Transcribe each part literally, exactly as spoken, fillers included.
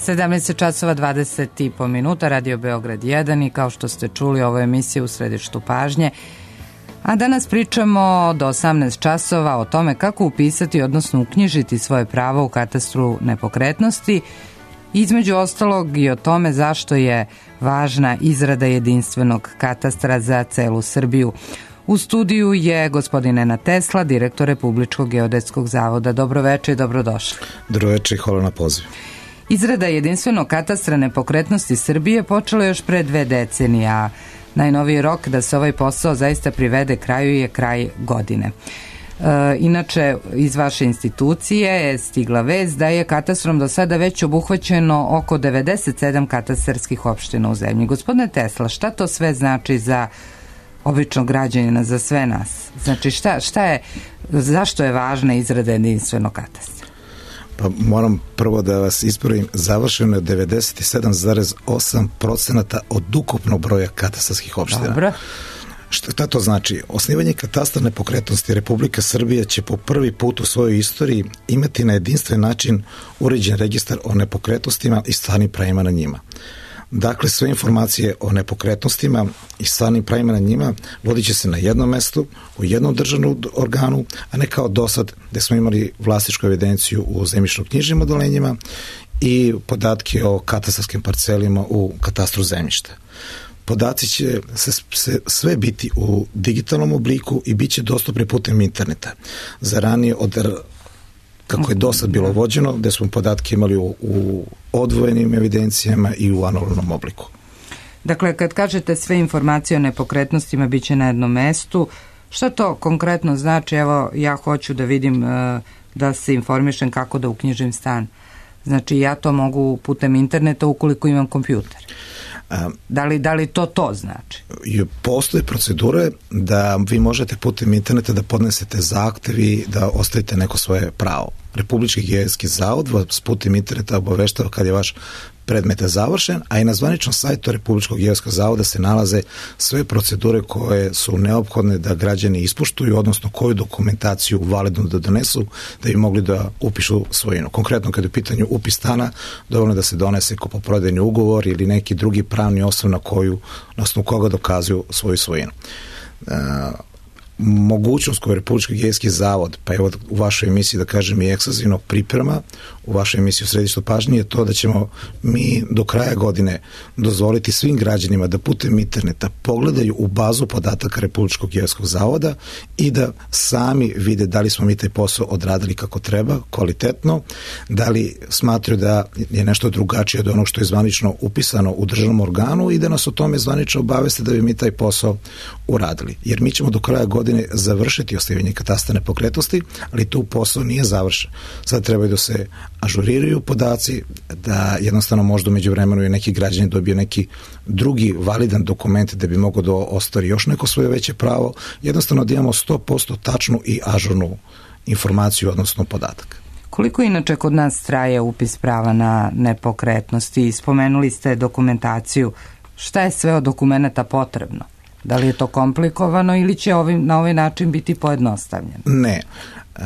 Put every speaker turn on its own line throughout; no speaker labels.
sedamnaest časova dvadeset i po minuta, Radio Beograd jedan i kao što ste čuli, ovo je emisija U središtu pažnje. A danas pričamo do osamnaest časova o tome kako upisati, odnosno uknjižiti svoje pravo u katastru nepokretnosti, između ostalog i o tome zašto je važna izrada jedinstvenog katastra za celu Srbiju. U studiju je gospodin Nenad Tesla, direktor Republičkog geodetskog zavoda. Dobroveče i dobrodošli.
Dobroveče i hvala na poziv.
Izrada jedinstvenog katastra nepokretnosti Srbije počela još pre dve decenije, a najnoviji rok da se ovaj posao zaista privede kraju je kraj godine. E, inače, iz vaše institucije je stigla vest da je katastrom do sada već obuhvaćeno oko devedeset sedam katastarskih opština u zemlji. Gospodine Tesla, šta to sve znači za običnog građanina, za sve nas? Znači, šta, šta je, zašto je važna izrada jedinstvenog katastra?
Pa moram prvo da vas ispravim, završeno je devedeset sedam zarez osam procenata od ukupnog broja katastarskih opština.
Dobro.
Šta to znači? Osnivanje katastra nepokretnosti Republika Srbija će po prvi put u svojoj istoriji imati na jedinstven način uređen registar o nepokretnostima i stvarnim pravima na njima. Dakle, sve informacije o nepokretnostima i stvarnim pravima na njima vodit će se na jednom mestu, u jednom državnom organu, a ne kao dosad gde smo imali vlasničku evidenciju u zemljišno-knjižnim odeljenjima i podatke o katastarskim parcelima u katastru zemljišta. Podaci će se, se sve biti u digitalnom obliku i bit će dostupni putem interneta. Za ranije od kako je do sad bilo vođeno, gde smo podatke imali u, u odvojenim evidencijama i u analognom obliku.
Dakle, kad kažete sve informacije o nepokretnostima bit će na jednom mestu, šta to konkretno znači? Evo, ja hoću da vidim, da se informišem kako da uknjižim stan. Znači, ja to mogu putem interneta ukoliko imam kompjuter. Da li, da li to to znači?
Postoje procedure da vi možete putem interneta da podnesete zahtev i da ostavite neko svoje pravo. Republički geodetski zavod vas putem interneta obaveštava kad je vaš predmet završen, a i na zvaničnom sajtu Republičkog geodetskog zavoda se nalaze sve procedure koje su neophodne da građani ispoštuju, odnosno koju dokumentaciju validnu da donesu da bi mogli da upišu svojinu. Konkretno, kada je u pitanju upis stana, dovoljno da se donese kupoprodajni ugovor ili neki drugi pravni osnov na koju, na osnovu koga dokazuju svoju svojinu. Uh, mogućnost koju Republički geodetski zavod, pa evo u vašoj emisiji da kažem i ekskluzivno priprema, u vašoj emisiji U središtu pažnje je to da ćemo mi do kraja godine dozvoliti svim građanima da putem interneta pogledaju u bazu podataka Republičkog geodetskog zavoda i da sami vide da li smo mi taj posao odradili kako treba, kvalitetno, da li smatraju da je nešto drugačije od onog što je zvanično upisano u državnom organu i da nas o tome zvanično obaveste da bi mi taj posao uradili. Jer mi ćemo do kraja godine završiti osnivanje katastra nepokretnosti, ali tu posao nije završen. Sad trebaju da se ažuriraju podaci, da jednostavno možda umeđu vremenu i neki građani dobije neki drugi validan dokument da bi mogao da ostvari još neko svoje veće pravo, jednostavno da imamo sto posto tačnu i ažurnu informaciju, odnosno podatak.
Koliko inače kod nas traje upis prava na nepokretnosti? Spomenuli ste dokumentaciju. Šta je sve od dokumenta potrebno? Da li je to komplikovano ili će ovim, na ovaj način biti pojednostavljeno?
Ne. E,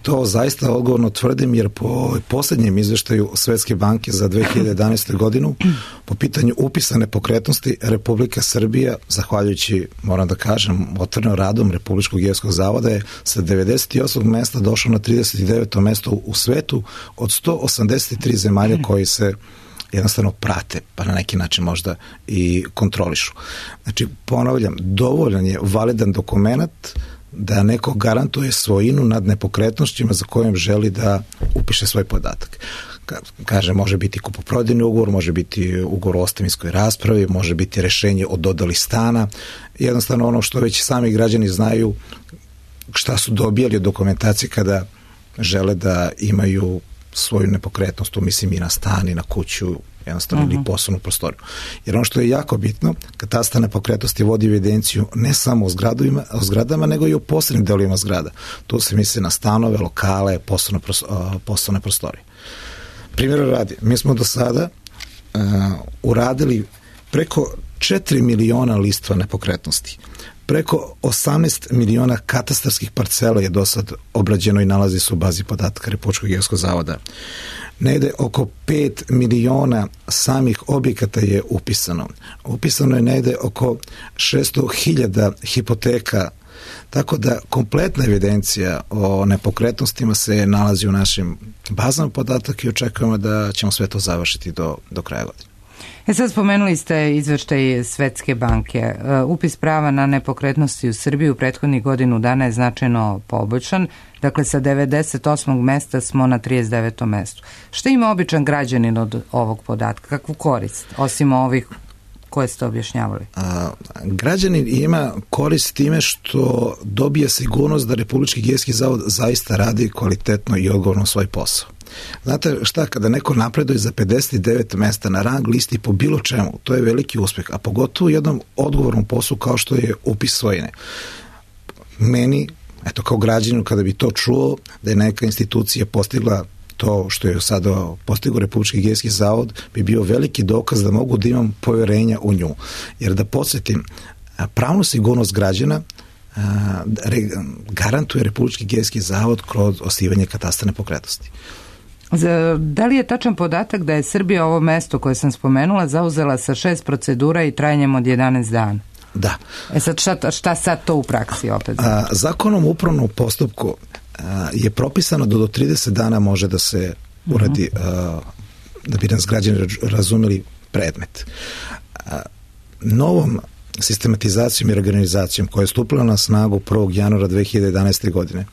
to zaista odgovorno tvrdim jer po posljednjem izveštaju Svetske banke za dve hiljade jedanaeste. godinu po pitanju upisa nepokretnosti Republika Srbija, zahvaljujući, moram da kažem, otvorenim radom Republičkog geodetskog zavoda je sa devedeset osmog mesta došao na trideset deveto mesto u svetu od sto osamdeset tri zemalja koji se jednostavno prate, pa na neki način možda i kontrolišu. Znači, ponavljam, dovoljan je validan dokument da neko garantuje svojinu nad nepokretnostima za kojom želi da upiše svoj podatak. Kaže, može biti kupoprodajni ugovor, može biti ugovor o ostavinskoj raspravi, može biti rešenje o dodali stana, jednostavno ono što već sami građani znaju šta su dobijali od dokumentacije kada žele da imaju svoju nepokretnost, tu mislim i na stan i na kuću, jednostavno uh-huh. ili poslovnu prostoriju. Jer ono što je jako bitno, katastar nepokretnosti vodi evidenciju ne samo o, zgradovima, o zgradama, nego i o posebnim delovima zgrada. Tu se misli na stanove, lokale, poslovne, poslovne prostorije. Primjera radi, mi smo do sada uh, uradili preko četiri miliona listova nepokretnosti. Preko osamnaest miliona katastarskih parcela je do sad obrađeno i nalazi se u bazi podataka Republičkog geodetskog zavoda. negde oko pet miliona samih objekata je upisano. Upisano je negde oko šesto hiljada hipoteka, tako da kompletna evidencija o nepokretnostima se nalazi u našim bazama podataka i očekujemo da ćemo sve to završiti do, do kraja godine.
E sad spomenuli ste izveštaj Svetske banke. Upis prava na nepokretnosti u Srbiji u prethodnih godinu dana je značajno poboljšan. Dakle, sa devedeset osmog mesta smo na trideset devetom mestu. Šta ima običan građanin od ovog podatka? Kakvu korist, osim ovih koje ste objašnjavali?
A, građanin ima korist time što dobije sigurnost da Republički geodetski zavod zaista radi kvalitetno i odgovorno svoj posao. Znate šta, kada neko napreduje za pedeset devet mesta na rang listi po bilo čemu, to je veliki uspeh, a pogotovo u jednom odgovornom poslu kao što je upis svojine. Meni, eto kao građaninu, kada bi to čuo da je neka institucija postigla to što je sada postigao Republički geodetski zavod, bi bio veliki dokaz da mogu da imam poverenja u nju. Jer da podsjetim, pravnu sigurnost građana garantuje Republički geodetski zavod kroz osnivanje katastra nepokretnosti.
Da li je tačan podatak da je Srbija ovo mesto koje sam spomenula zauzela sa šest procedura i trajanjem od jedanaest dana?
Da.
E sad šta, šta sad to u praksi opet?
A, zakonom o upravnom postupku a, je propisano da do trideset dana može da se uradi, uh-huh. a, da bi nas građani razumeli, predmet. A, novom sistematizacijom i organizacijom koja je stupila na snagu prvog januara dve hiljade jedanaeste. godine.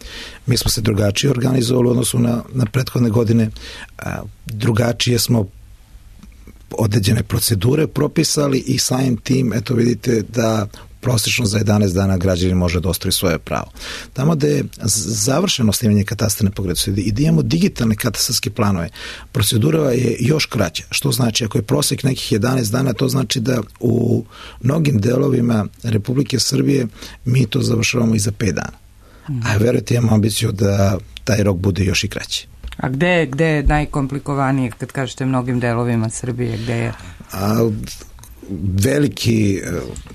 Mi smo se drugačije organizovali u odnosu na, na prethodne godine, a, drugačije smo određene procedure propisali i samim tim, eto vidite da prosječno za jedanaest dana građani može da ostvari svoje pravo. Tamo da je završeno osnivanje katastra nepokretnosti i da imamo digitalne katastarske planove, procedura je još kraća, što znači ako je prosjek nekih jedanaest dana, to znači da u mnogim delovima Republike Srbije mi to završavamo i za pet dana. Mm. A verujte, imamo ambiciju da taj rok bude još i kraći.
A gde, gde je najkomplikovanije, kad kažete mnogim delovima Srbije, gde je?
A, veliki,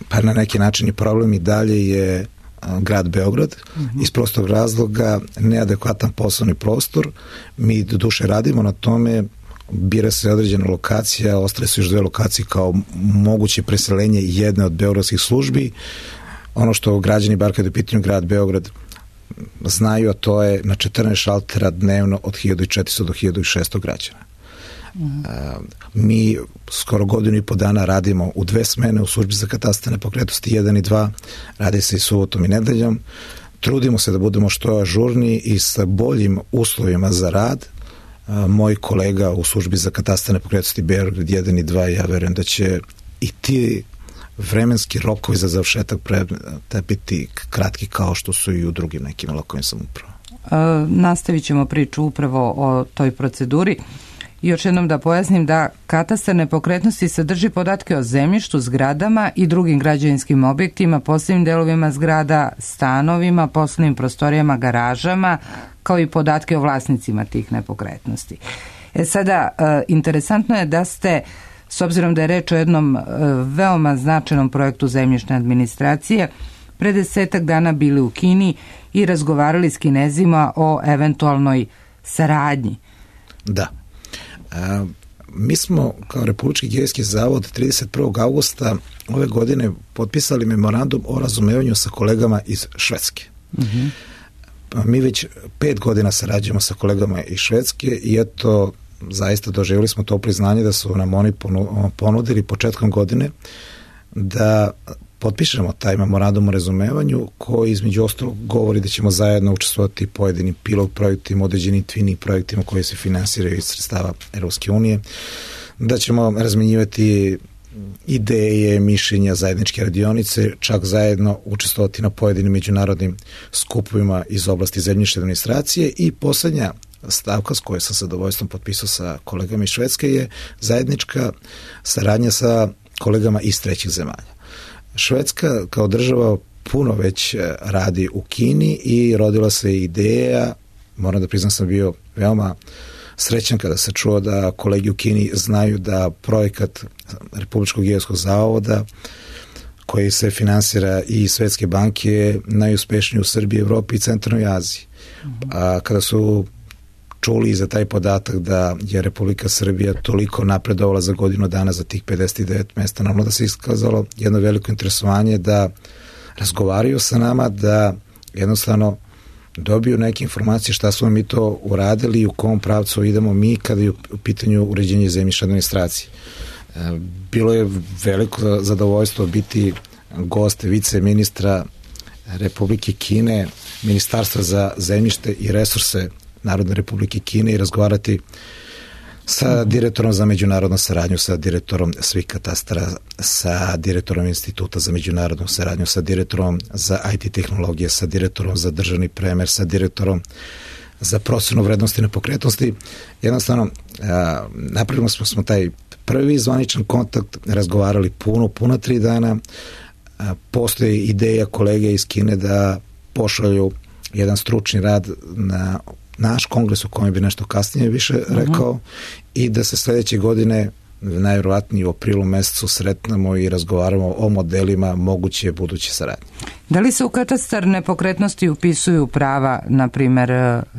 pa na neki način i problem i dalje je grad Beograd, uh-huh. iz prostog razloga neadekvatan poslovni prostor. Mi do duše radimo na tome, bira se određena lokacija, ostale su još dve lokacije kao moguće preselenje jedne od beogradskih službi. Ono što građani, bar kada je u pitanju grad Beograd, znaju, a to je na četrnaest šaltera dnevno od hiljadu četiristo do hiljadu šesto građana. Uh-huh. Mi skoro godinu i po dana radimo u dve smene u službi za katastar nepokretnosti jedan i dva, radi se i subotom i nedeljom. Trudimo se da budemo što ažurniji i sa boljim uslovima za rad. Moj kolega u službi za katastar nepokretnosti Beograd jedan i dva, ja verujem da će i ti vremenski rokovi za završetak predmeta biti kratki kao što su i u drugim nekim lokalnim samoupravama.
E, nastavit ćemo priču upravo o toj proceduri. Još jednom da pojasnim da katastar nepokretnosti sadrži podatke o zemljištu, zgradama i drugim građevinskim objektima, poslovnim delovima zgrada, stanovima, poslovnim prostorijama, garažama, kao i podatke o vlasnicima tih nepokretnosti. E sada, e, interesantno je da ste, s obzirom da je reč o jednom e, veoma značajnom projektu zemljišne administracije, pre desetak dana bili u Kini i razgovarali s Kinezima o eventualnoj saradnji.
Da. A, mi smo kao Republički geodetski zavod trideset prvog avgusta ove godine potpisali memorandum o razumevanju sa kolegama iz Švedske. Uh-huh. Mi već pet godina sarađujemo sa kolegama iz Švedske i eto, zaista doživjeli smo to priznanje da su nam oni ponudili početkom godine da potpišemo taj memorandum o razumevanju koji između ostalog govori da ćemo zajedno učestvovati pojedinim pilot projektima, određenim twinning projektima koji se finansiraju iz sredstava Europske unije, da ćemo razmenjivati ideje, mišljenja, zajedničke radionice, čak zajedno učestvovati na pojedinim međunarodnim skupovima iz oblasti zemljišne administracije i poslednja stavka s kojoj sam sa zadovoljstvom potpisao sa kolegama iz Švedske je zajednička saradnja sa kolegama iz trećih zemalja. Švedska kao država puno već radi u Kini i rodila se ideja, moram da priznam sam bio veoma srećan kada se čuo da kolegi u Kini znaju da projekat Republičkog geodetskog zavoda koji se finansira i Svetske banke je najuspešniji u Srbiji, Evropi i Centralnoj Aziji. A kada su čuli i za taj podatak da je Republika Srbija toliko napredovala za godinu dana za tih pedeset devet mesta. Naravno da se iskazalo jedno veliko interesovanje da razgovaraju sa nama, da jednostavno dobiju neke informacije šta smo mi to uradili i u kom pravcu idemo mi kada je u pitanju uređenja zemljišne administracije. Bilo je veliko zadovoljstvo biti gost vice ministra Republike Kine, Ministarstva za zemljište i resurse Narodne Republike Kine i razgovarati sa direktorom za međunarodnu saradnju, sa direktorom svih katastara, sa direktorom Instituta za međunarodnu saradnju, sa direktorom za I T tehnologije, sa direktorom za državni premer, sa direktorom za procenu vrednosti nepokretnosti. Jednostavno, napravili smo, smo taj prvi zvaničan kontakt, razgovarali puno, puno tri dana. Postoji ideja kolege iz Kine da pošalju jedan stručni rad na naš kongres u kojem bi nešto kasnije više rekao uh-huh. i da se sledeće godine najvjerovatnije u aprilu mesecu sretnemo i razgovaramo o modelima moguće buduće saradnje.
Da li se u katastar nepokretnosti upisuju prava, na primer,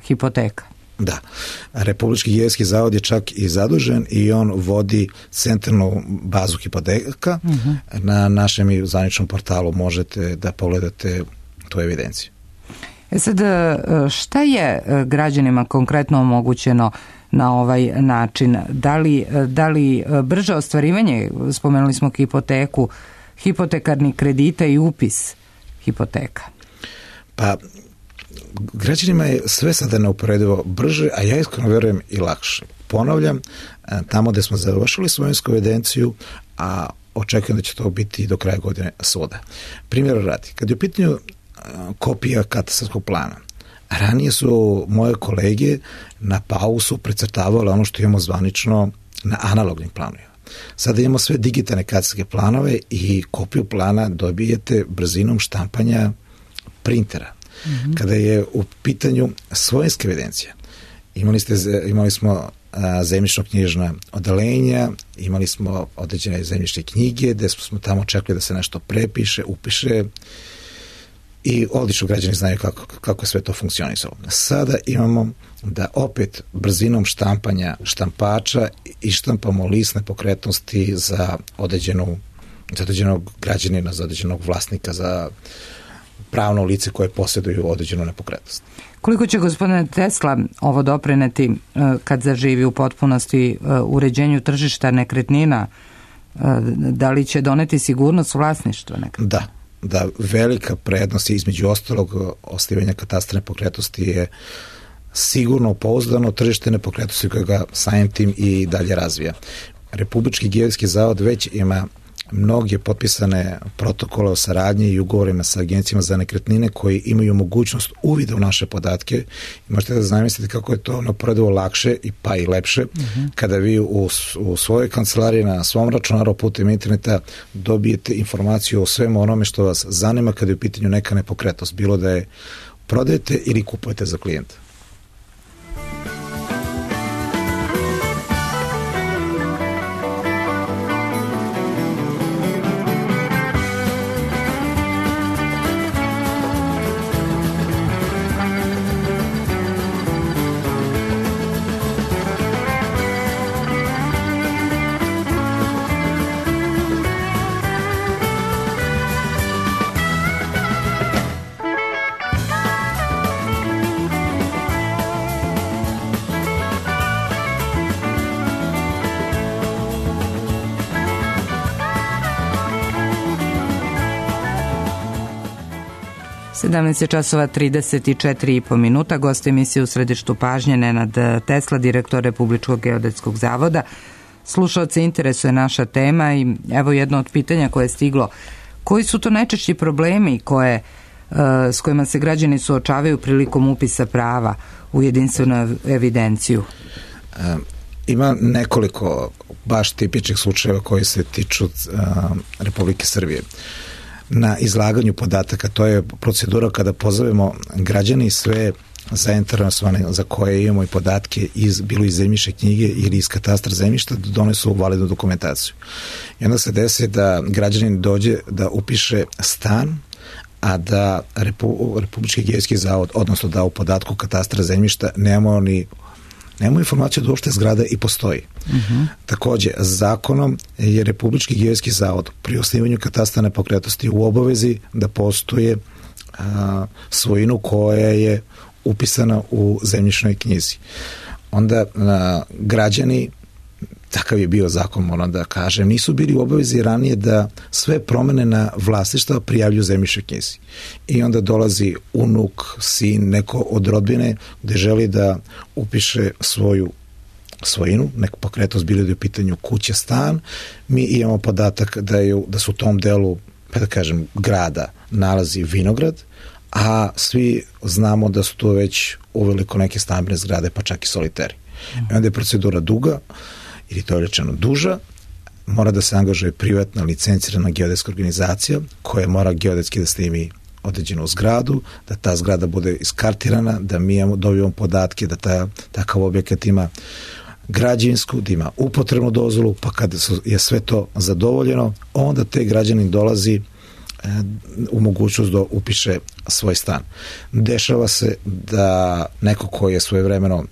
hipoteka?
Da. Republički geodetski zavod je čak i zadužen i on vodi centralnu bazu hipoteka. Uh-huh. Na našem zvaničnom portalu možete da pogledate tu evidenciju.
E sad, šta je građanima konkretno omogućeno na ovaj način? Da li, da li brže ostvarivanje, spomenuli smo hipoteku, hipotekarni kredita i upis hipoteka?
Pa, građanima je sve sada neuporedivo brže, a ja iskreno verujem i lakše. Ponavljam, tamo gde smo završili svojinsku evidenciju, a očekujem da će to biti do kraja godine svuda. Primjer radi, kad je u pitanju kopija katastarskog plana, ranije su moje kolege na pausu precrtavale ono što imamo zvanično na analognim planovima. Sada imamo sve digitalne katastarske planove i kopiju plana dobijete brzinom štampanja printera. Mm-hmm. Kada je u pitanju svojinska evidencija, imali, ste, imali smo zemljišno-knjižna odeljenja, imali smo određene zemljišne knjige gde smo tamo čekali da se nešto prepiše, upiše i odlično građani znaju kako, kako je sve to funkcionisalo. Sada imamo da opet brzinom štampanja štampača ištampamo list nepokretnosti za određenu, za određenog građanina, za određenog vlasnika, za pravno lice koje posjeduju određenu nepokretnost.
Koliko će gospodine Tesla ovo doprineti kad zaživi u potpunosti uređenju tržišta nekretnina? Da li će doneti sigurnost vlasništva nekretnina?
Da. da velika prednost između ostalog osnivanja katastra nepokretnosti je sigurno pouzdano tržište nepokretnosti koje ga samim tim i dalje razvija. Republički geodetski zavod već ima mnoge potpisane protokole o saradnji i ugovorima sa agencijama za nekretnine koji imaju mogućnost uvida u naše podatke i možete da zamislite kako je to neuporedivo lakše i pa i lepše uh-huh. kada vi u, u svojoj kancelariji na svom računaru putem interneta dobijete informaciju o svemu onome što vas zanima kada je u pitanju neka nepokretnost, bilo da je prodajete ili kupujete za klijenta.
sedamnaest časova trideset četiri i po minuta. Gost emisije u središtu pažnje Nenad Tesla, direktor Republičkog geodetskog zavoda. Slušaoce interesuje naša tema i evo jedno od pitanja koje je stiglo. Koji su to najčešći problemi koje, s kojima se građani suočavaju prilikom upisa prava u jedinstvenu evidenciju?
Um. Ima nekoliko baš tipičnih slučajeva koji se tiču uh, Republike Srbije. Na izlaganju podataka, to je procedura kada pozovemo građani i sve zainteresovane za koje imamo i podatke iz, bilo iz zemljišne knjige ili iz katastra zemljišta da donesu validnu dokumentaciju. I onda se desi da građanin dođe da upiše stan, a da Repu, Republički geodetski zavod, odnosno da u podatku katastra zemljišta nemamo ni nemamo informaciju da uopšte zgrada i postoji. Uh-huh. Takođe, zakonom je Republički geodetski zavod pri osnivanju katastra nepokretnosti u obavezi da postoje a, svojinu koja je upisana u zemljišnoj knjizi. Onda a, građani, takav je bio zakon, moram da kažem, nisu bili u obavezi ranije da sve promene na vlasništva prijavljuju zemljišnoj knjizi. I onda dolazi unuk, sin, neko od rodbine gde želi da upiše svoju svojinu, neku pokretnost, bilo da je u pitanju kuća, stan. Mi imamo podatak da, je, da su u tom delu, pa da kažem, grada nalazi vinograd, a svi znamo da su to već uveliko neke stambene zgrade, pa čak i soliteri. I onda je procedura duga, ili to je rečeno duža, mora da se angažuje privatna licencirana geodetska organizacija koja mora geodetski da snimi određenu zgradu, da ta zgrada bude iskartirana, da mi dobijemo podatke da ta, takav objekat ima građevinsku, da ima upotrebnu dozvolu, pa kada je sve to zadovoljeno, onda te građanin dolazi e, u mogućnost da upiše svoj stan. Dešava se da neko koji je svojevremeno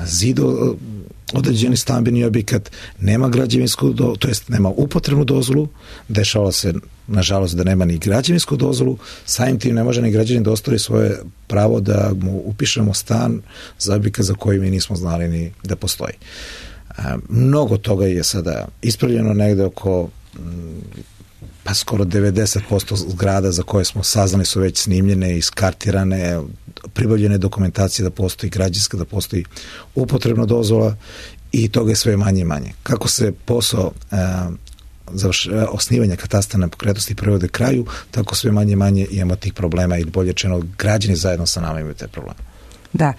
zido određeni stambeni objekat, nema građevinsku, do, to jest nema upotrebnu dozvolu, dešava se nažalost da nema ni građevinsku dozvolu, samim tim ne može ni građanin da ostvari svoje pravo da mu upišemo stan za objekat za koji mi nismo znali ni da postoji. A, mnogo toga je sada ispravljeno, negde oko pa skoro devedeset posto zgrada za koje smo saznali su već snimljene, iskartirane, pribavljene dokumentacije da postoji građevinska, da postoji upotrebna dozvola i toga je sve manje i manje. Kako se posao e, završ, osnivanja katastra nepokretnosti privode kraju, tako sve manje i manje imamo tih problema ili bolje rečeno građani zajedno sa nama imaju te probleme.
Da.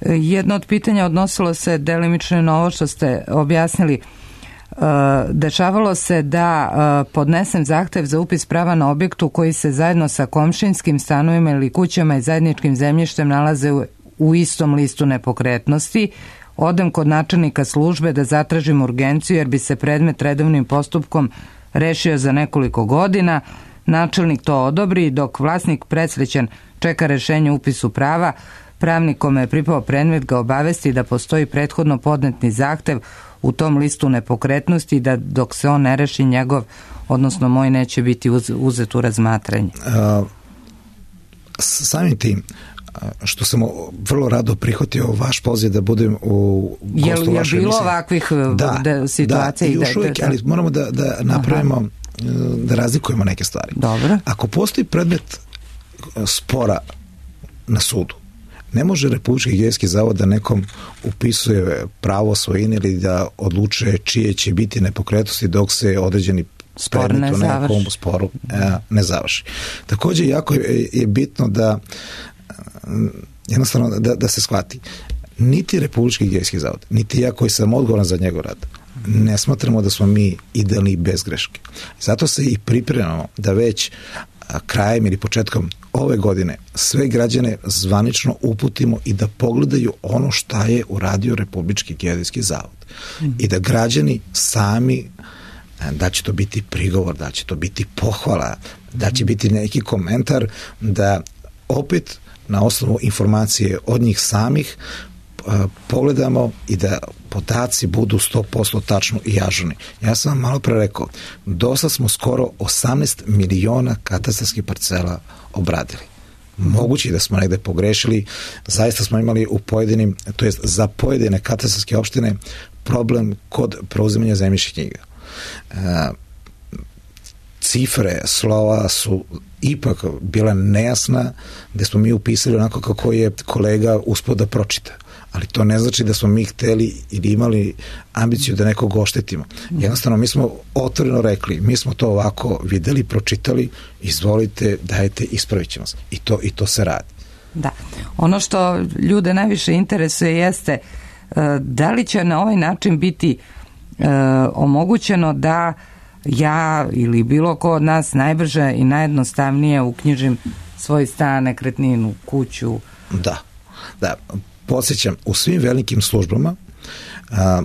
Jedno od pitanja odnosilo se delimično na ovo što ste objasnili. Dešavalo se da podnesem zahtev za upis prava na objektu koji se zajedno sa komšinskim stanovima ili kućama i zajedničkim zemljištem nalaze u istom listu nepokretnosti. Odem kod načelnika službe da zatražim urgenciju jer bi se predmet redovnim postupkom rešio za nekoliko godina. Načelnik to odobri, dok vlasnik presrećan čeka rešenje upisu prava. Pravnik kome je pripao predmet ga obavesti da postoji prethodno podnetni zahtev u tom listu nepokretnosti, da dok se on ne reši njegov, odnosno moj, neće biti uz, uzet u razmatranje.
A, samim tim, što sam vrlo rado prihvatio vaš poziv da budem u gostu vašoj emisiji. Je li bilo ovakvih
da, da, situacija?
Da, i još uvijek, ali moramo da, da napravimo, aha, da razlikujemo neke stvari.
Dobro.
Ako postoji predmet spora na sudu, ne može Republički geodetski zavod da nekom upisuje pravo svojine ili da odlučuje čije će biti nepokretnosti dok se određeni predmet u nekom sporu ne završi. Također jako je, je bitno da jednostavno da, da se shvati. Niti Republički geodetski zavod, niti ja koji sam odgovoran za njegov rad, ne smatramo da smo mi idealni bez greške. Zato se i pripremamo da već krajem ili početkom ove godine sve građane zvanično uputimo i da pogledaju ono šta je uradio Republički geodetski zavod. Mm. I da građani sami, da će to biti prigovor, da će to biti pohvala, da će biti neki komentar, da opet na osnovu informacije od njih samih pogledamo i da podaci budu sto posto tačno i ažurni. Ja sam vam malo pre rekao, dosta smo skoro osamnaest miliona katastarskih parcela obradili. Moguće da smo negde pogrešili, zaista smo imali u pojedinim, to jest za pojedine katastarske opštine problem kod preuzimanja zemljišnih knjiga. E, cifre, slova su ipak bila nejasna, gde smo mi upisali onako kako je kolega uspeo da pročita. Ali to ne znači da smo mi hteli ili imali ambiciju da nekog oštetimo. Jednostavno, mi smo otvoreno rekli, mi smo to ovako videli, pročitali, izvolite, dajte, ispravit ćemo se. I to, i to se radi.
Da. Ono što ljude najviše interesuje jeste da li će na ovaj način biti e, omogućeno da ja ili bilo ko od nas najbrže i najjednostavnije uknjižim svoj stan, nekretninu, kuću.
Da, da. Podsjećam, u svim velikim službama, a,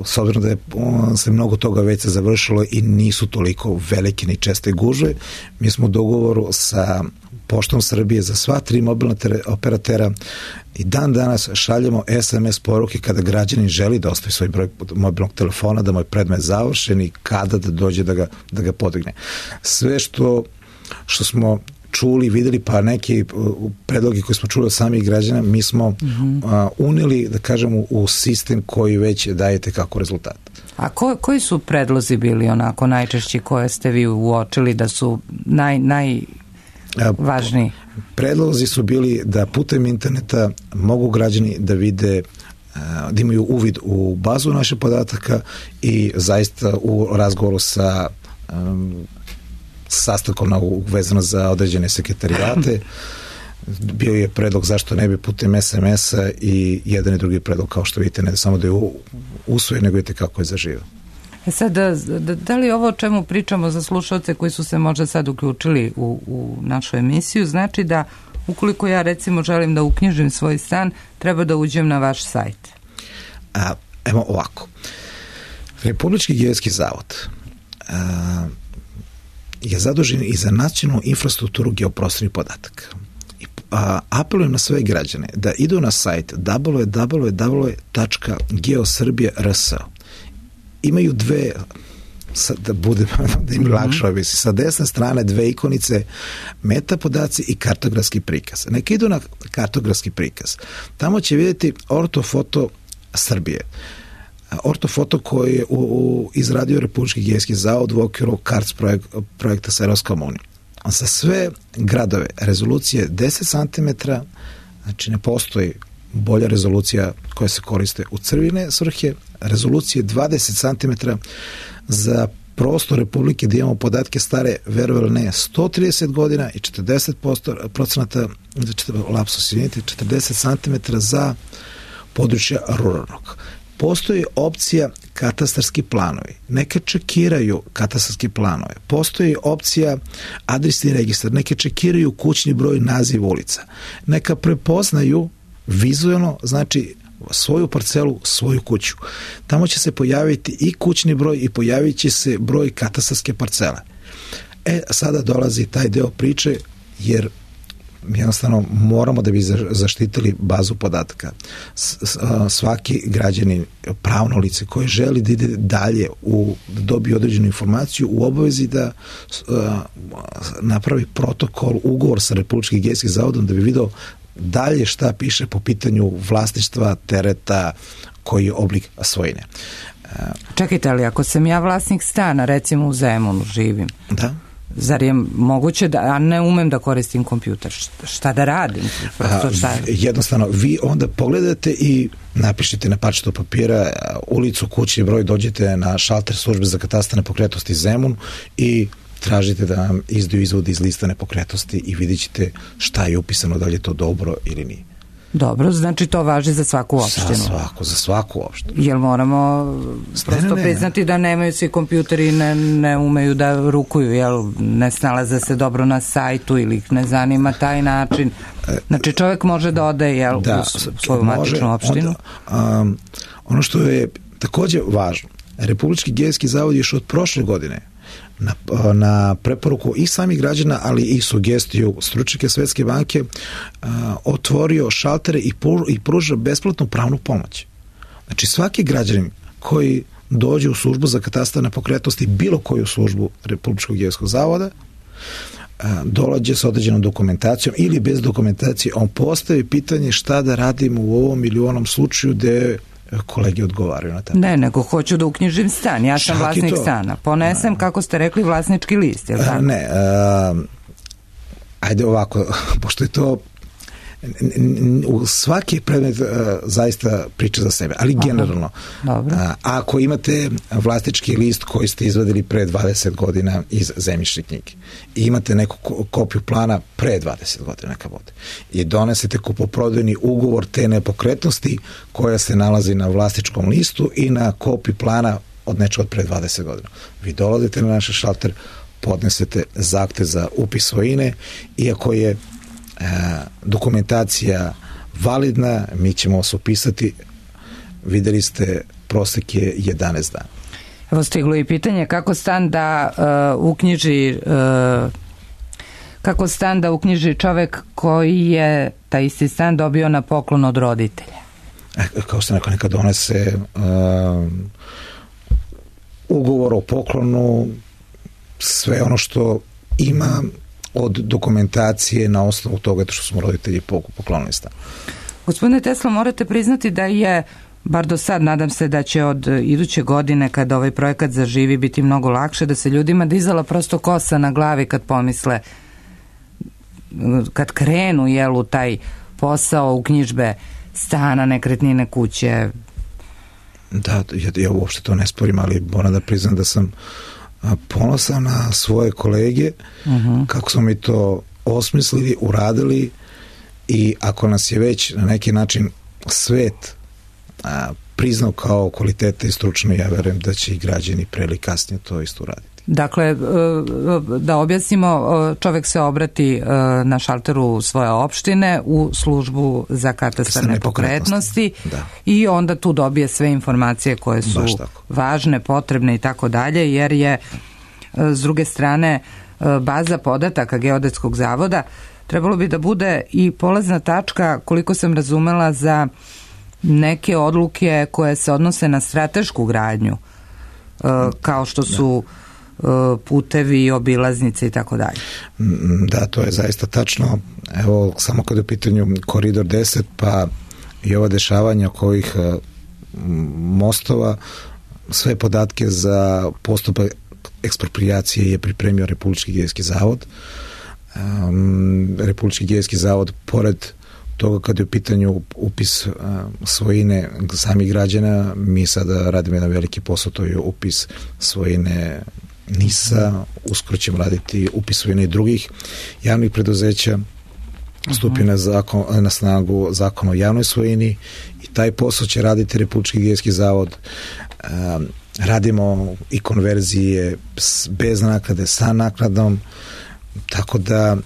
s obzirom da je on, se mnogo toga već se završilo i nisu toliko velike ni česte gužve, mi smo u dogovoru sa Poštom Srbije za sva tri mobilna operatera i dan danas šaljemo es em es poruke kada građanin želi da ostavi svoj broj mobilnog telefona, da mu je predmet završen i kada da dođe da ga, da ga podigne. Sve što, što smo čuli, videli, pa neki predlogi koji smo čuli od samih građana, mi smo mm-hmm. a, unili, da kažemo, u sistem koji već dajete kako rezultat.
A ko, koji su predlozi bili onako najčešći koje ste vi uočili da su naj, najvažniji?
Predlozi su bili da putem interneta mogu građani da vide, da imaju uvid u bazu naših podataka i zaista u razgovoru sa um, sastavkom vezano za određene sekretarijate. Bio je predlog zašto ne bi putem es em es-a i jedan i drugi predlog, kao što vidite, ne samo da je usvojen, nego vidite kako je zaživio.
E sad, da, da, da li ovo o čemu pričamo za slušalce koji su se možda sad uključili u, u našu emisiju, znači da ukoliko ja recimo želim da uknjižim svoj stan, treba da uđem na vaš sajt?
A, evo ovako. Republički geodetski zavod a, je zadužen i za nacionalnu infrastrukturu geoprostornih podataka. I, a, apelujem na sve građane da idu na sajt w w w tačka geosrbija tačka r s. Imaju dve, sad da budem, da im lakše objasniti, sa desne strane dve ikonice, meta podaci i kartografski prikaz. Neka idu na kartografski prikaz. Tamo će vidjeti ortofoto Srbije. Ortofoto koji je u, u izradio Republički geodetski zavod u okviru karts projek, projekta sa Evropskom unijom. Za sve gradove rezolucije deset centimetara, znači ne postoji bolja rezolucija koja se koriste u crvene svrhe, rezolucije dvadeset centimetara za prostor Republike da imamo podatke stare, verovali ne, sto trideset godina i četrdeset procenata, lapsus izvinite, četrdeset centimetara za područja ruralnog. Postoji opcija katastarski planovi. Neka čekiraju katastarski planove. Postoji opcija adresni registar. Neka čekiraju kućni broj, naziv ulica. Neka prepoznaju vizualno, znači svoju parcelu, svoju kuću. Tamo će se pojaviti i kućni broj i pojavit će se broj katastarske parcele. E, sada dolazi taj deo priče, jer jednostavno moramo da bi zaštitili bazu podataka. Svaki građanin, pravno lice koje želi da ide dalje u, da dobije određenu informaciju, u obavezi da uh, napravi protokol, ugovor sa Republičkim geodetskim zavodom da bi video dalje šta piše po pitanju vlasništva, tereta, koji je oblik svojine.
Čekajte, ali ako sam ja vlasnik stana, recimo u Zemunu živim,
da,
zar je moguće da, a ne umem da koristim kompjuter, šta da radim? Prosto šta je?
Jednostavno, vi onda pogledate i napišite na parčetu papira ulicu, kućni broj, dođete na šalter službe za katastar nepokretnosti Zemun i tražite da vam izdaju izvod iz lista nepokretnosti i vidjet ćete šta je upisano, da li je to dobro ili nije.
Dobro, znači to važi za svaku opštinu.
Za svaku, za svaku opštinu.
Jel moramo prosto ne, ne, ne. priznati da nemaju svi kompjuteri, ne, ne umeju da rukuju, jel ne snalaze se dobro na sajtu ili ih ne zanima taj način. Znači čovjek može da ode, jel, da, u svoju može, matičnu opštinu?
Onda, um, ono što je takođe važno, Republički geodetski zavod još od prošle godine Na, na preporuku i samih građana, ali i sugestiju stručnjaka Svetske banke, a, otvorio šaltere i, pru, i pruža besplatnu pravnu pomoć. Znači svaki građanin koji dođe u službu za katastar nepokretnosti, bilo koju službu Republičkog geodetskog zavoda, a, dolađe sa određenom dokumentacijom ili bez dokumentacije, on postavi pitanje šta da radimo u ovom ili u onom slučaju gde kolege odgovaraju na to.
Ne, nego hoću da uknjižim stan. Ja sam Čak vlasnik stana. Ponesem, kako ste rekli, vlasnički list, je li tako?
Ne, a, ajde ovako, pošto je to u svaki predmet a, zaista priča za sebe, ali generalno. A, ako imate vlasnički list koji ste izvadili pre dvadeset godina iz zemljišne knjige i imate neku kopiju plana pre dvadeset godina neka bude i donesete kupoprodajni ugovor te nepokretnosti koja se nalazi na vlasničkom listu i na kopiju plana od nečega od pre dvadeset godina. Vi dolazite na naš šalter, podnesete zahtev za upis svojine, iako je E, dokumentacija validna, mi ćemo vas upisati. Videli ste, prosek je jedanaest dana.
Evo stiglo i pitanje kako stan da uh, uknjiži uh, kako stan da uknjiži čovek koji je taj isti stan dobio na poklon od roditelja?
E, kao što neko nekad donese uh, ugovor o poklonu, sve ono što ima od dokumentacije na osnovu toga što smo roditelji poklonili stan.
Gospodine Tesla, morate priznati da je, bar do sad, nadam se da će od iduće godine, kada ovaj projekat zaživi, biti mnogo lakše, da se ljudima dizala prosto kosa na glavi kad pomisle, kad krenu jel, u taj posao uknjižbe stana, nekretnine, kuće.
Da, ja, ja uopšte to ne sporim, ali moram da priznam da sam ponosan na svoje kolege, uh-huh. kako smo mi to osmislili, uradili, i ako nas je već na neki način svet a, priznao kao kvalitete i stručno, ja verujem da će i građani pre ili kasnije to isto uraditi.
Dakle, da objasnimo, čovek se obrati na šalteru svoje opštine u službu za katastar nepokretnosti i onda tu dobije sve informacije koje su važne, potrebne i tako dalje, jer je s druge strane baza podataka Geodetskog zavoda trebalo bi da bude i polazna tačka, koliko sam razumela, za neke odluke koje se odnose na stratešku gradnju, kao što su putevi, obilaznice i tako dalje.
Da, to je zaista tačno. Evo, samo kada je u pitanju Koridor deset, pa i ova dešavanja oko ovih mostova, sve podatke za postupak ekspropriacije je pripremio Republički geodetski zavod. Um, Republički geodetski zavod, pored toga kada je u pitanju upis uh, svojine samih građana, mi sada radimo jedan veliki posao, to je upis svojine NIS-a, uskoro ćemo raditi upis svojine i drugih javnih preduzeća, stupi na, zakon, na snagu zakon o javnoj svojini i taj posao će raditi Republički geodetski zavod. Um, radimo i konverzije bez naknade, sa naknadom, tako da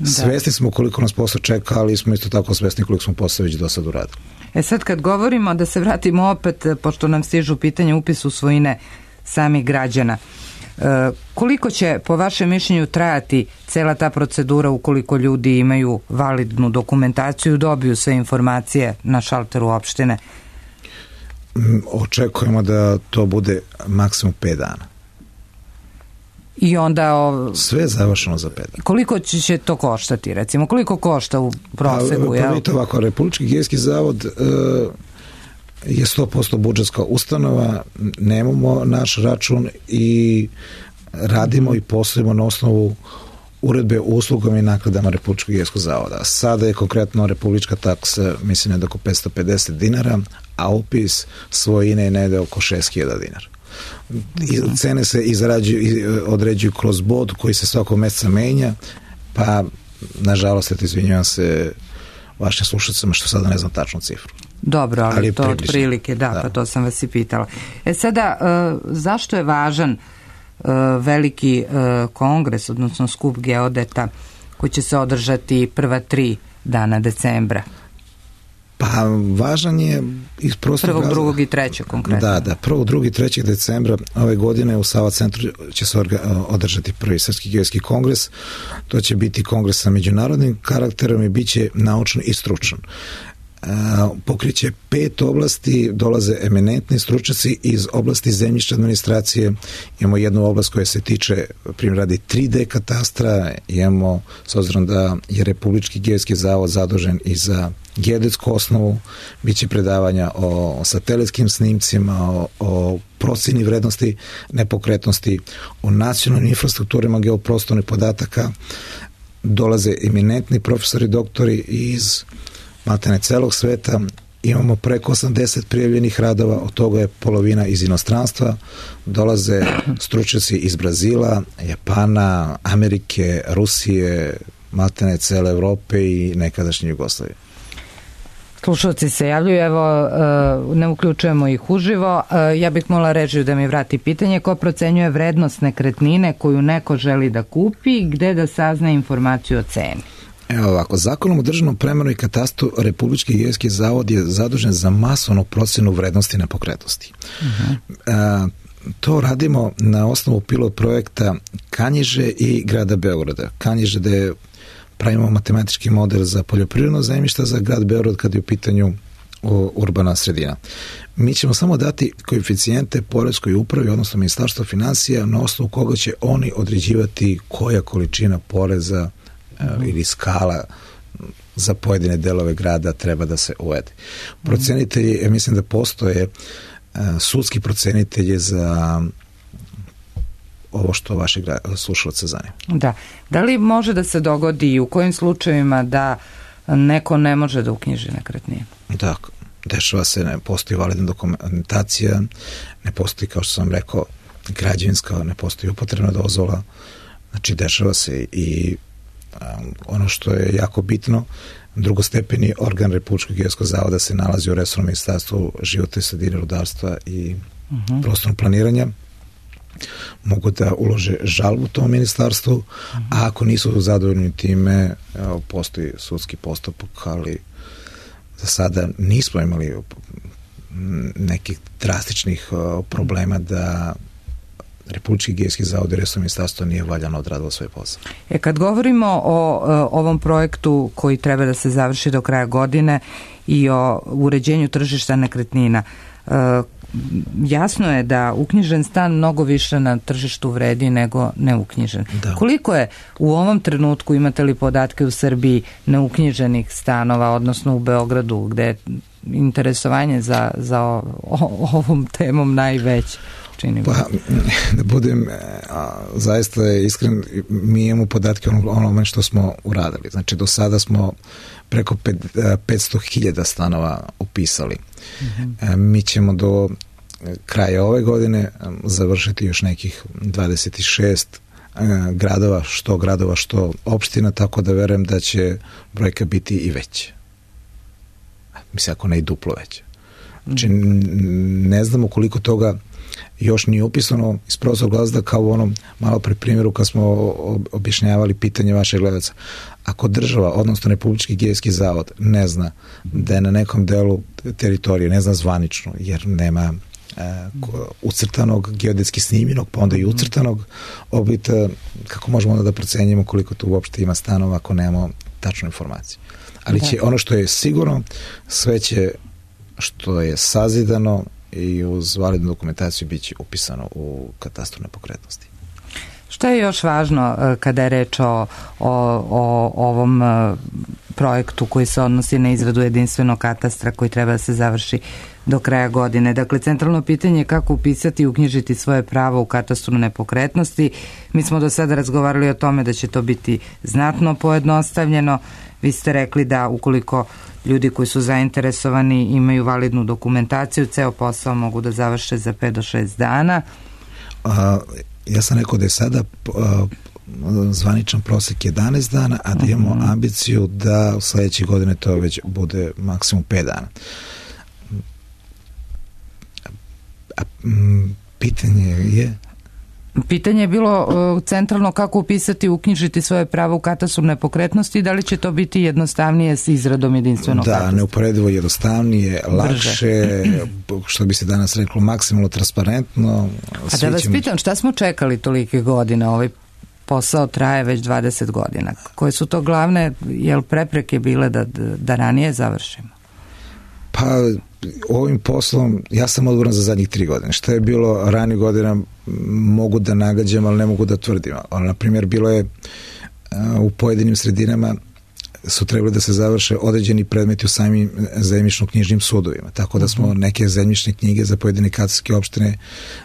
svesni smo koliko nas posao čeka, ali smo isto tako svesni koliko smo posao već do sad uradili.
E sad kad govorimo, da se vratimo opet, pošto nam stižu pitanje upisu svojine samih građana, e, koliko će po vašem mišljenju trajati cela ta procedura ukoliko ljudi imaju validnu dokumentaciju, dobiju sve informacije na šalteru opštine?
Očekujemo da to bude maksimum pet dana.
I onda o...
sve je završeno za pet dana.
Koliko će to koštati, recimo? Koliko košta u proseku?
Pa, pa ovako, Republički geodetski zavod e, je sto posto budžetska ustanova, nemamo naš račun i radimo i poslujemo na osnovu uredbe o uslugama i nakladama Republičkog geodetskog zavoda. Sada je konkretno republička taksa, mislim, je oko petsto pedeset dinara, a upis svojine je negde oko šest hiljada dinara. I cene se izrađuju, određuju kroz bod koji se svakog meseca menja, pa nažalost, eto, izvinjavam se vašim slušacima što sada ne znam tačnu cifru.
Dobro, ali, ali to od prilike, da, da, pa to sam vas i pitala. E sada, uh, zašto je važan uh, veliki uh, kongres, odnosno skup geodeta koji će se održati prva tri dana decembra?
Pa važan je iz prostog
prvog, drugog i trećeg konkretno.
Da, da, prvog, drugog i trećeg decembra ove godine u Sava centru će se održati prvi Srpski geodetski kongres. To će biti kongres sa međunarodnim karakterom i bit će naučan i stručan. Pokriće pet oblasti, dolaze eminentni stručnjaci iz oblasti zemljišne administracije, imamo jednu oblast koja se tiče, primjer radi tri D katastra, imamo, s obzirom da je Republički geodetski zavod zadužen i za geodetsku osnovu, bit će predavanja o satelitskim snimcima, o, o proceni vrednosti nepokretnosti, o nacionalnim infrastrukturima geoprostornih podataka, dolaze eminentni profesori, doktori iz maltene celog sveta, imamo preko osamdeset prijavljenih radova, od toga je polovina iz inostranstva, dolaze stručnjaci iz Brazila, Japana, Amerike, Rusije, maltene cele Evrope i nekadašnje Jugoslavije.
Slušalci se javljaju, evo, ne uključujemo ih uživo. Ja bih molila režiju da mi vrati pitanje. Ko procenjuje vrednost nekretnine koju neko želi da kupi, gde da sazna informaciju o ceni?
Evo ovako, Zakonom o državnom premeru i katastru Republički geodetski zavod je zadužen za masovnu procenu vrednosti nepokretnosti. Uh-huh. to radimo na osnovu pilot projekta Kanjiže i grada Beograda. Kanjiže da je pravimo matematički model za poljoprivredno zemljište, za grad Beograd kad je u pitanju urbana sredina. Mi ćemo samo dati koeficijente poreskoj upravi, odnosno Ministarstvo finansija, na osnovu koga će oni određivati koja količina poreza mm. ili skala za pojedine delove grada treba da se uvede. Procenitelji, ja mislim da postoje sudski procenitelji za ovo što vaše slušalce zanima. Da.
Da li može da se dogodi i u kojim slučajevima da neko ne može da uknjiži nekretninu?
Da, dešava se, ne postoji validna dokumentacija, ne postoji, kao što sam rekao, građevinska, ne postoji upotrebna dozvola, znači dešava se i um, ono što je jako bitno, drugostepeni organ Republičkog geodetskog zavoda se nalazi u resornom ministarstvu životne sredine, rudarstva i uh-huh. prostornog planiranja. Mogu da ulože žalbu tom ministarstvu, uh-huh. a ako nisu zadovoljni time, evo, postoji sudski postupak, ali za sada nismo imali nekih drastičnih uh, problema da Republički geodetski zavod i resorno ministarstvo nije valjano odradilo svoj posao.
E, kad govorimo o uh, ovom projektu koji treba da se završi do kraja godine i o uređenju tržišta nekretnina, uh, jasno je da uknjižen stan mnogo više na tržištu vredi nego neuknjižen. Da. Koliko je u ovom trenutku, imate li podatke u Srbiji, neuknjiženih stanova, odnosno u Beogradu, gde je interesovanje za, za o, o, ovom temom najveće?
Pa, da budem a, zaista iskren, mi imamo podatke ono, onome što smo uradili. Znači, do sada smo preko petsto hiljada stanova upisali. Mm-hmm. E, mi ćemo do kraja ove godine završiti još nekih dvadeset šest e, gradova, što gradova, što opština, tako da verujem da će brojka biti i veća. Mislim, ako ne i duplo veća. Znači, ne znamo koliko toga još nije upisano iz prostog razloga, kao u onom malo pre primjeru kad smo objašnjavali pitanje vašeg gledaca. Ako država, odnosno Republički geodetski zavod, ne zna da je na nekom delu teritorije, ne zna zvanično, jer nema e, ucrtanog, geodetski snimljenog, pa onda i ucrtanog obita, kako možemo onda da procenjimo koliko tu uopšte ima stanova ako nemamo tačnu informaciju. Ali će, ono što je sigurno, sve će što je sazidano i uz validnu dokumentaciju bit će upisano u katastru nepokretnosti.
Šta je još važno kada je reč o, o, o ovom projektu koji se odnosi na izradu jedinstvenog katastra koji treba da se završi do kraja godine? Dakle, centralno pitanje je kako upisati i uknjižiti svoje pravo u katastru nepokretnosti. Mi smo do sada razgovarali o tome da će to biti znatno pojednostavljeno. Vi ste rekli da ukoliko ljudi koji su zainteresovani imaju validnu dokumentaciju, ceo posao mogu da završe za pet do šest dana.
A, ja sam rekao da je sada a, zvaničan prosek jedanaest dana, a da imamo uh-huh. ambiciju da u sledeće godine to već bude maksimum pet dana. A, m, pitanje je...
Pitanje je bilo uh, centralno kako upisati i uknjižiti svoje pravo u katastru nepokretnosti i da li će to biti jednostavnije s izradom jedinstvenog
da,
katastra?
Da, neuporedivo jednostavnije, lakše, što bi se danas reklo, maksimalno transparentno.
A da vas ćemo... pitam, šta smo čekali tolike godine? Ovaj posao traje već dvadeset godina. Koje su to glavne, jel prepreke bile da, da ranije završimo?
Pa, ovim poslom, ja sam odgovoran za zadnjih tri godine. Šta je bilo ranije godina mogu da nagađam, ali ne mogu da tvrdim. Ali, na primjer, bilo je u pojedinim sredinama su trebali da se završe određeni predmeti u samim zemljišno-knjižnim sudovima. Tako da smo neke zemljišne knjige za pojedine katastarske opštine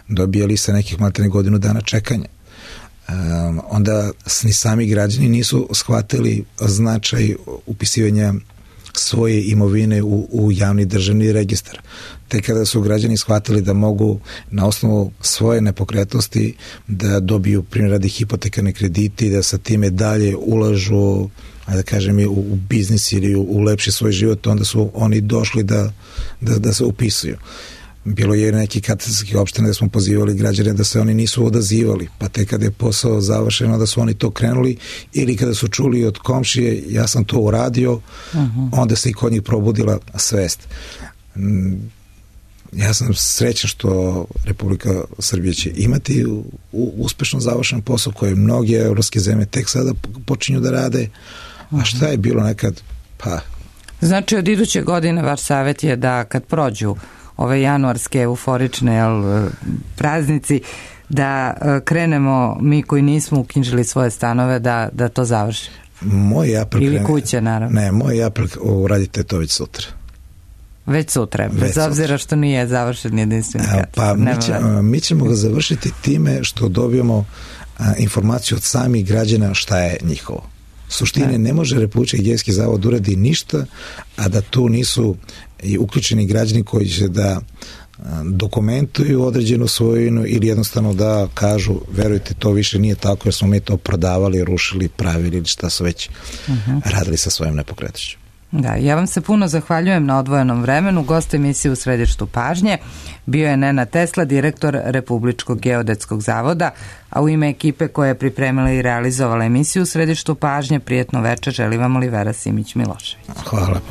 dobijali sa nekih maltene godinu dana čekanja. Um, onda ni sami građani nisu shvatili značaj upisivanja svoje imovine u, u javni državni registar. Te kada su građani shvatili da mogu na osnovu svoje nepokretnosti da dobiju primjer radi hipotekarne kredite i da sa time dalje ulažu, da kažem, u, u biznis ili u, u lepši svoj život, onda su oni došli da, da, da se upisuju. Bilo je neki katastarskih opština da smo pozivali građane da se oni nisu odazivali, pa te kada je posao završeno da su oni to krenuli, ili kada su čuli od komšije ja sam to uradio, uh-huh. onda se i kod njih probudila svest. Ja sam srećan što Republika Srbija će imati u, u, uspešno završen posao koje mnoge evropske zemlje tek sada počinju da rade, a šta je bilo nekad, pa...
Znači, od iduće godine vaš savjet je da kad prođu ove januarske euforične jel, praznici, da krenemo mi koji nismo uknjižili svoje stanove da, da to završimo.
Moj apel...
Ili krene, kuće, naravno.
Ne, moj apel, uradite to već sutra.
Već sutra, bez već obzira sutra. Što nije završen jedinstveni katastar.
Pa mi, će, mi ćemo ga završiti time što dobijemo a, informaciju od samih građana šta je njihovo. Suštine, ne, ne može Republički geodetski zavod uradi ništa, a da tu nisu i uključeni građani koji će da dokumentuju određenu svojinu ili jednostavno da kažu, verujte, to više nije tako jer smo mi to prodavali, rušili, pravili ili šta su već uh-huh. radili sa svojim nepokretnošću.
Da, ja vam se puno zahvaljujem na odvojenom vremenu. Gost emisije U središtu pažnje bio je Nenad Tesla, direktor Republičkog geodetskog zavoda, a u ime ekipe koja je pripremila i realizovala emisiju U središtu pažnje, prijetno večer želi vam Olivera Simić Milošević.
Hvala.